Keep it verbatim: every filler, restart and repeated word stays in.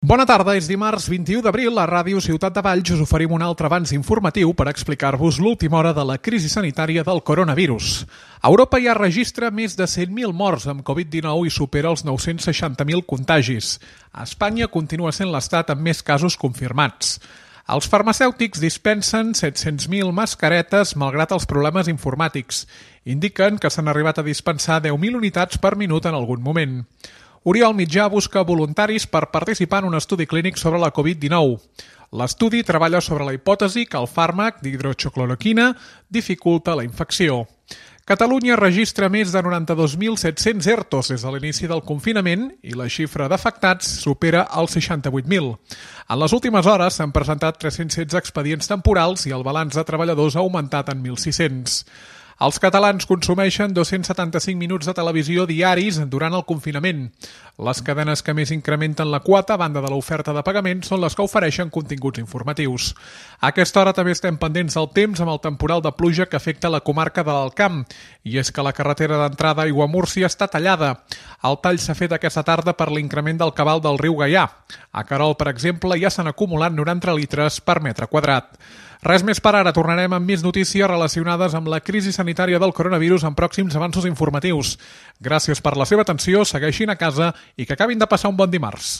Bona tarda, és dimarts vint-i-u d'abril, a Ràdio Ciutat de Valls us oferim un altre avanç informatiu per explicar-vos l'última hora de la crisi sanitària del coronavirus. Europa ja registra més de cent mil morts amb covid dinou i supera els nou-cents seixanta mil contagis. A Espanya continua sent l'estat amb més casos confirmats. Els farmacèutics dispensen set-cents mil mascaretes malgrat els problemes informàtics. Indiquen que s'han arribat a dispensar deu mil unitats per minut en algun moment. Oriol Mitjà busca voluntaris per participar en un estudi clínic sobre la covid dinou. L'estudi treballa sobre la hipòtesi que el fàrmac d'hidroxicloroquina dificulta la infecció. Catalunya registra més de noranta-dos mil set-cents ERTOs des de l'inici del confinament i la xifra d'afectats supera els seixanta-vuit mil. En les últimes hores s'han presentat tres-cents setze expedients temporals i el balanç de treballadors ha augmentat en mil sis-cents. Els catalans consumeixen dos-cents setanta-cinc minuts de televisió diaris durant el confinament. Les cadenes que més incrementen la quota, a banda de l'oferta de pagament, són les que ofereixen continguts informatius. A aquesta hora també estem pendents del temps amb el temporal de pluja que afecta la comarca de l'Alt Camp. I és que la carretera d'entrada a Aiguamúrcia està tallada. El tall s'ha fet aquesta tarda per l'increment del cabal del riu Gaià. A Querol, per exemple, ja s'han acumulat noranta litres per metre quadrat. Res més per ara, tornarem amb més notícies relacionades amb la crisi sanitària del coronavirus en pròxims avanços informatius. Gràcies per la seva atenció, segueixin a casa i que acabin de passar un bon dimarts.